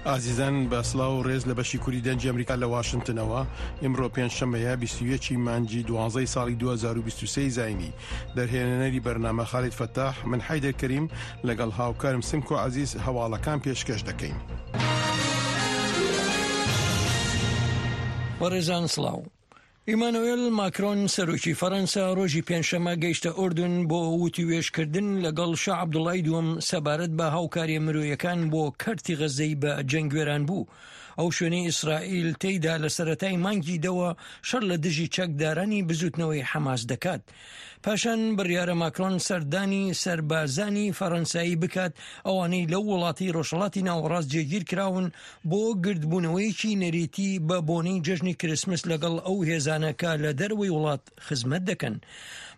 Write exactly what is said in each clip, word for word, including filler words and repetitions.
ئازیزان بە سڵاو و ڕێز لە بەشی کوری دەنگی ئەمریکا لە واشنتنەوە، ئیمڕۆ پێنجشەممەیە بیست و یەک ی مانگی دوانزەی ساڵی دوو هەزار و بیست و سێ ی زاینی. دەرهێنەری بەرنامە خالید فەتاح، من حەیدەر کەریم لەگەڵ هاوکارم سمکۆ عەزیز هەواڵەکان پێشکەش دەکەین. بەڕێزان سڵاو. ئیمانوێل ماکرۆن سەرۆکی فەرەنسا ڕۆژی پێنجشەممە گەیشتە ئوردن بۆ وتووێژکردن لەگەڵ شا عەبدوڵای دووەم سەبارەت بە هاوکاریە مرۆیەکان بۆ کەرتی غەززەی بە جەنگوێران بوو، ئەو شوێنەی ئیسرائیل تێیدا لە سەرەتای مانگی دەوە شەڕ لە دژی چەکدارانی بزوتنەوەی حەماس دەکات. پاشان بڕیارە ماکرۆن سەردانی سەربازانی فەرەنسایی بکات، ئەوانەی لەو وڵاتی ڕۆژهەڵاتی ناوەڕاست جێگیر کراون بۆ گردبوونەوەیەکی نەریتی بە بۆنەی جەژنی کریسمس لەگەڵ ئەو هێزانە کە لە دەرەوەی وڵات خزمەت دەکەن.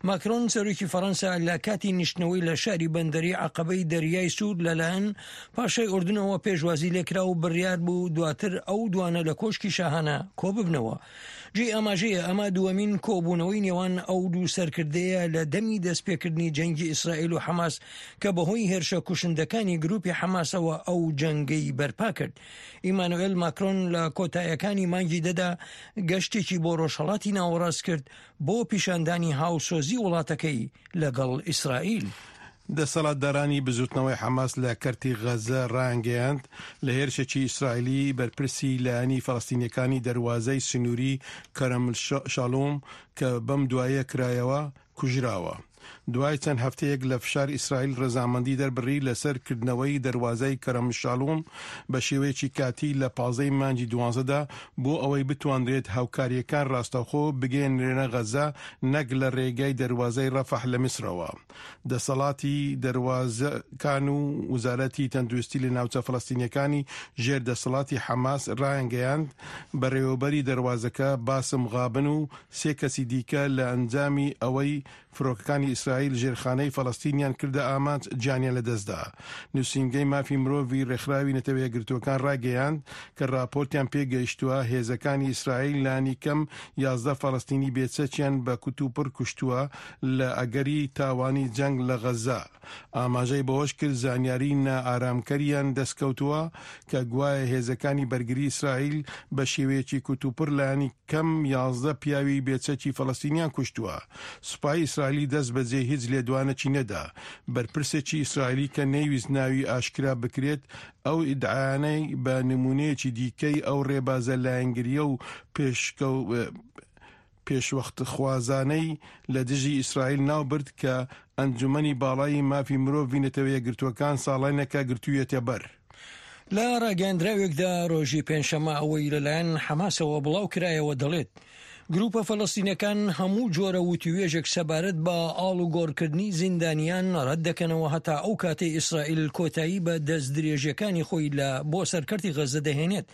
ماکرۆن سەرۆکی فەرەنسا لە کاتی نیشتنەوەی لە شاری بەندەری عەقەبەی دەریای سوور لەلایەن پاشای ئوردنەوە پێشوازی لێکرا و بڕیار بوو دواتر ئەو دوانە لە کۆشکی شاهانە کۆببنەوە. جێی ئاماژەیە ئەمە دووەمین کۆبوونەوەی نێوان ئەو دوو سەرکردەیە لە دەمی دەستپێکردنی جەنگی ئیسرائیل و حەماس کە بەهۆی هێرشە کوشندەکانی گروپی حەماسەوە ئەو جەنگەی بەرپا کرد. ئیمانوێل ماکرۆن لە کۆتایەکانی مانگی دەدا گەشتێکی بۆ ڕۆژهەڵاتی ناوەڕاست کرد بۆ پیشاندانی هاوسۆزی وڵاتەکەی لەگەڵ ئیسرائیل. دەسەڵاتدارانی بزوتنەوەی حەماس لە کەرتی غەززە ڕایانگەیاند، لە هێرشێکی ئیسرائیلی بەرپرسی لایەنی فەلەستینیەکانی دەروازەی سنووری کەرەم شالوم کە بەم دواییە کرایەوە، کوژراوە. دوای چەند هەفتەیەک لە فشار ئیسرائیل ڕەزامەندی دەربڕی لەسەر کردنەوەی دەروازەی کەرەم شالوم بە شێوەیەکی کاتی لە پازدە ی مانگی دوانزەدا بۆ ئەوەی بتوانرێت هاوکارییەکان ڕاستەوخۆ بگەیەنرێنە غەززە نەک لە ڕێگای دەروازەی ڕەفەح لە میسرەوە. دەسەڵاتی دەروازەکان و وزارەتی تەندروستی لە ناوچە فەلەستینیەکانی ژێر دەسەڵاتی حەماس ڕایانگەیاند، بەڕێوەبەری دەروازەکە باسم غابن و سێ کەسی دیکە لە ئەنجامی ئەوەی فرۆکەکانی ئیسرائیل ژێرخانەی فەلەستینیان کردە ئامانج گیانیان لەدەستدا. نووسینگەی مافی مرۆڤی ڕێکخراوی نەتەوە یەکگرتووەکان ڕایگەیاند کە ڕاپۆرتیان پێگەیشتووە هێزەکانی ئیسرائیل لانیکەم یازدە فەلەستینی بێچەکیان بە کوتوپڕ کوشتووە لە ئەگەری تاوانی جەنگ لە غەززە. ئاماژەی بەوەشکرد، زانیاری نائارامکەریان دەستکەوتووە کە گوایە هێزەکانی بەرگری ئیسرائیل بە شێوەیەکی کوتوپڕ لایەنی کەم یازدە پیاوی بێچەکی فەلەستینیان کوشتووە. سوپای ئیسرائیلی دەستبەجێ هیچ لێدوانێکی نەدا. بەرپرسێکی ئیسرائیلی کە نەیویست ناوی ئاشکرا بکرێت، ئەو ئیدعایانەی بە نموونەیەکی دیکەی ئەو ڕێبازە لایەنگرییە و پێشوەختخوازانەی لە دژی ئیسرائیل ناوبرد کە ئەنجومەنی باڵای مافی مرۆڤی نەتەوە یەکگرتووەکان ساڵانێکە گرتوویەتە بەر. لە ڕاگەیەندراوێکدا ڕۆژی پێنجشەممە ئەوەی لەلایەن حەماسەوە بڵاوکرایەوە دەڵێت، گروپە فەلەستینەکان هەموو جۆرە وتووێژێک سەبارەت بە ئاڵوگۆڕکردنی زیندانیان ڕەت دەکەنەوە هەتا ئەو کاتەی ئیسرائیل کۆتایی بە دەستدرێژیەکانی خۆی لە بۆ سەر کەرتی غەززە دەهێنێت.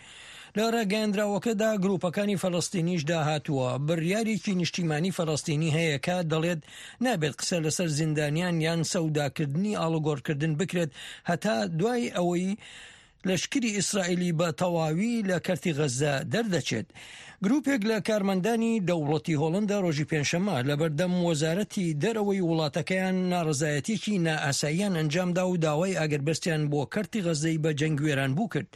لە ڕاگەیەندراوەکەدا گروپەکانی فەلەستینیشدا هاتووە، بڕیارێکی نیشتیمانی فەلەستینی هەیە کە دەڵێت نابێت قسە لەسەر زیندانیان یان سەوداکردنی ئاڵوگۆڕکردن بکرێت هەتا دوای ئەوەی لەشکری ئیسرائیلی بە تەواوی لە کەرتی غەززە دەردەچێت. گروپێک لە کارمەندانی دەوڵەتی هۆڵندا ڕۆژی پێنجشەممە لەبەردەم وەزارەتی دەرەوەی وڵاتەکەیان ناڕەزایەتیەکی نائاساییان ئەنجامدا و داوای ئاگربەستیان بۆ کەرتی غەززەی بە جەنگ وێرانبوو کرد.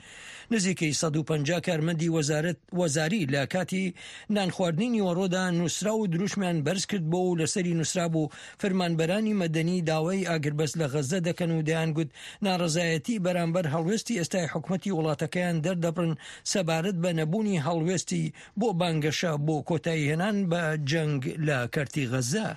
نزیکەی سەد و پەنجا کارمەندی وەزارەت وەزاری لە کاتی نانخواردنی نیوەڕۆدا نووسراو و دروشمیان بەرز کردبۆ و لەسەری نووسرابوو فەرمانبەرانی مەدەنی داوای ئاگربەست لە غەززە دەکەن و دەیانگوت ناڕەزایەتی بەرامبەر هەڵوێستی ئێستای حکومەتی وڵاتەکەیان دەردەبڕن سەبارەت بە نەبوونی هەڵوێستی بۆ بانگەشە بۆ کۆتاییهێنان بە جەنگ لە کەرتی غەززە.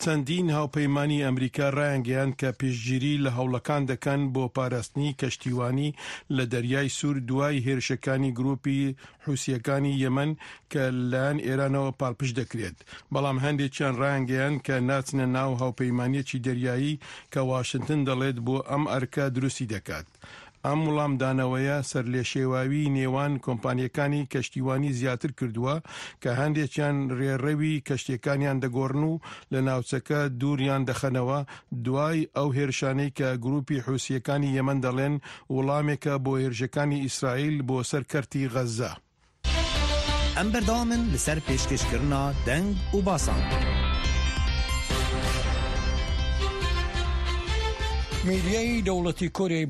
چەندین هاوپەیمانی ئەمریکا ڕایانگەیاند کە پشتگیری لە هەوڵەکان دەکەن بۆ پاراستنی کەشتیوانی لە دەریای سوور دوای هێرشەکانی گروپی حوسییەکانی یەمەن کە لەلایەن ئێرانەوە پاڵپشت دەکرێت، بەڵام هەندێکیان ڕایانگەیاند کە ناچنە ناو هاوپەیمانییەکی دەریایی کە واشنتن دەڵێت بۆ ئەم ئەرکە دروستی دەکات. ئەم وڵامدانەوەیە سەرلێشێواویی نێوان کۆمپانییەکانی کەشتیوانی زیاتر کردووە کە هەندێکیان رێڕەوی کەشتییەکانیان دەگۆڕن و لە ناوچەکە دووریان دەخەنەوە دوای ئەو هێرشانەی کە گروپی حوسییەکانی یەمەن دەڵێن وڵامێکە بۆ هێرشەکانی ئیسرائیل بۆ سەر کەرتی غەززە. Em berdewam in li ser pêşkêşkirina deng û basan. میدیای دەوڵەتی کۆریای